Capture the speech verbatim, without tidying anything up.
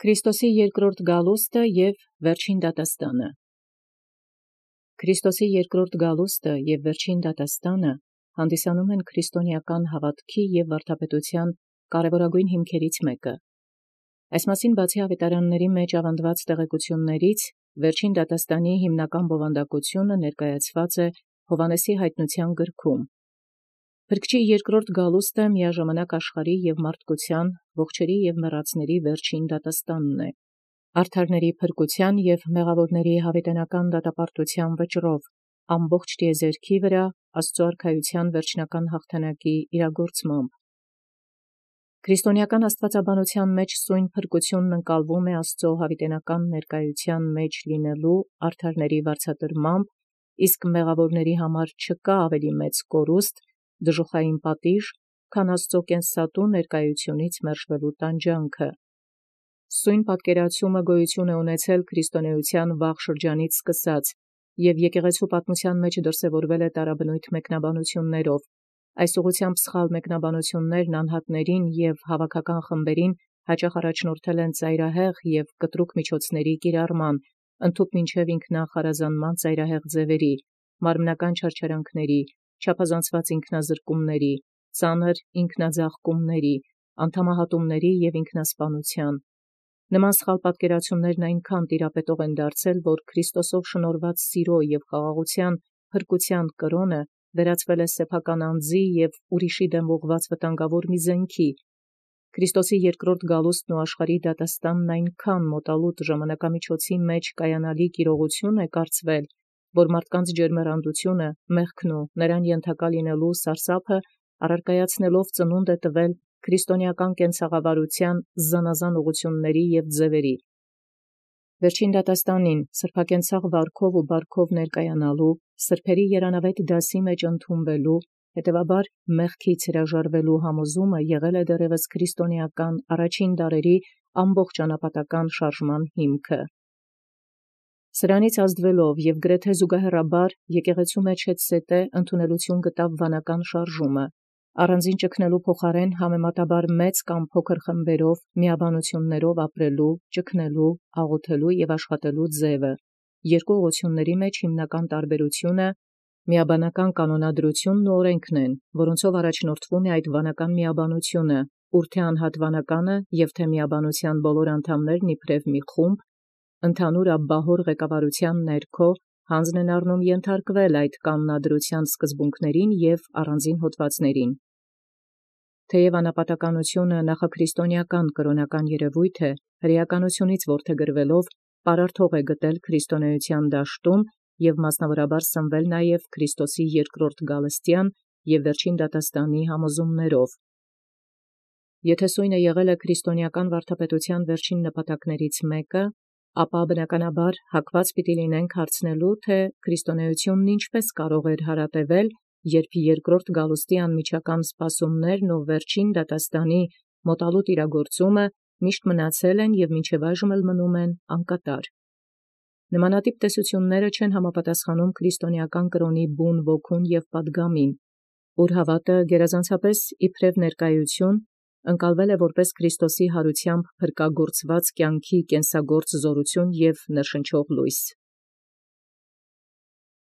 Քրիստոսի երկրորդ գալուստը և վերջին դատաստանը։ Քրիստոսի երկրորդ գալուստը և վերջին դատաստանը հանդիսանում են քրիստոնեական հավատքի և վարդապետության կարևորագույն հիմքերից մեկը։ Այս մասին բացի ավետարանացն մեջ աւանդելոց տեղեկություններից, վերջին դատաստանի հիմնական բովանդակությունը ներկայացված է Հովհաննեսի յայտնութեան գրքում։ Փրկչի երկրորդ գալուստը միաժամանակ աշխարհի և մարդկության, ողջերի և մեռածների վերջին դատաստանն է։ Արդարների փրկութեան և մեղաւորների յաւիտենական դատապարտութեան վճռով ամբողջ տիեզերքի վրա Աստուծոյ արքայութեան վերջնական յաղթանակի իրագործմամբ։ Քրիստոնեական աստուածաբանութեան մեջ սույն փրկութիւնն ընկալվում է Աստուծոյ յաւիտենական ներկայութեան մեջ լինելու արդարների վարձատրմամբ, իսկ մեղաւորաց համար չկա ավելի մեծ կորուստ, դժուխային պատիժ, քան Աստուծոյ կենսատու ներկայութիւնից մերժվելու տանջանքը։ Սույն պատկերացումը գոյություն է ունեցել քրիստոնեության վաղ շրջանից սկսած և եկեղեցու պատմութեան մեջ դրսևորվել է տարաբնույթ մեկնաբանութիւններով։ Այս ուղղութեամբ սխալ մեկնաբանութիւններն անհատացն և հաւաքական խմբերին յաճախ առաջնորդել են ծայրահեղ և կտրուկ միջոցացն կիրառման, ընդհուպ մինչև ինքնախարազանման ծայրահեղ ձևերի, մարմնական չարչարանքների, չափազանցված ինքնազրկումների, ծանր ինքնաձաղկումների, անդամահատումների և ինքնասպանութեան։ Նման սխալ պատկերացումներն այնքան տիրապետող են դարձել, որ Քրիստոսով շնորհված սիրո և խաղաղութեան փրկութեան կրօնը վերածվել է սեփական անձի և ուրիշի դեմ ուղղված վտանգավոր մի զենքի։ Քրիստոսի երկրորդ գալուստն ու աշխարհի դատաստանն այնքան մոտալուտ ժամանակամիջոցի մեջ կայանալիք իրողութիւն է կարծվել, որ մարդկանց ջերմեռանդութիւնը, մեղքն ու նրան ենթակա լինելու սարսափը առարկայացնելով ծնունդ է տվել քրիստոնեական կենցաղավարութեան զանազան ուղղութիւնների և ձևերի։ Վերջին դատաստանին սրբակենցաղ վարքով ու բարքով ներկայանալու, սրբերի երանավետ դասի մեջ ընդունվելու, հետևաբար մեղքից հրաժարվելու համոզումը եղել է դեռևս քրիստոնեական առաջին դարերի ամբողջ անապատական շարժման հիմքը։ Սրանից ազդվելով և գրեթե զուգահեռաբար եկեղեցու մեջ հետզհետե ընդունելութիւն գտավ վանական շարժումը, առանձին ճգնելու փոխարեն համեմատաբար մեծ կամ փոքր խմբերով միաբանութիւններով ապրելու, ճգնելու, աղոթելու և աշխատելու ձևը։ Երկու ուղղութիւնացն մեջ հիմնական տարբերութիւնը միաբանական կանոնադրութիւնն ու օրենքն են, որոնցով առաջնորդվում է այդ վանական միաբանութիւնը, ուր թէ անհատ վանականը և թէ միաբանութեան բոլոր անդամներն իբրև մի խումբ, ընդհանուր աբբահոր ղեկավարութեան ներքո յանձն են առնում ենթարկվել այդ կանոնադրութեան սկզբունքներին և առանձին հոդվածներին։ Թեև անապատականությունը նախաքրիստոնեական կրօնական երևոյթ է, հրեականությունից որդեգրվելով պարարտ հող է գտել քրիստոնեության դաշտում և մասնավորաբար սնվել նաև Քրիստոսի երկրորդ գալստեան և վերջին դատաստանի համոզումներով։ Եթէ սույնը եղել է քրիստոնեական վարդապետութեան վերջին նպատակներից մեկը, ապա բնականաբար հակված պիտի լինենք հարցնելու, թէ քրիստոնեությունն ինչպէս կարող էր հարատևել, երբ երկրորդ գալուստի անմիջական սպասումներն ու վերջին դատաստանի մոտալուտ իրագործումը միշտ մնացել են և մինչև այժմ էլ մնում են անկատար։ Նմանատիպ տեսութիւնները չեն համապատասխանում քրիստոնեական կրօնի բուն ոգուն և պատգամին, ուր հաւատը գերազանցապես իբրև ներկայութիւն ընկալվել է որպէս Քրիստոսի յարութեամբ փրկագործված կյանքի կենսագործ զօրութիւն և ներշնչող լույս։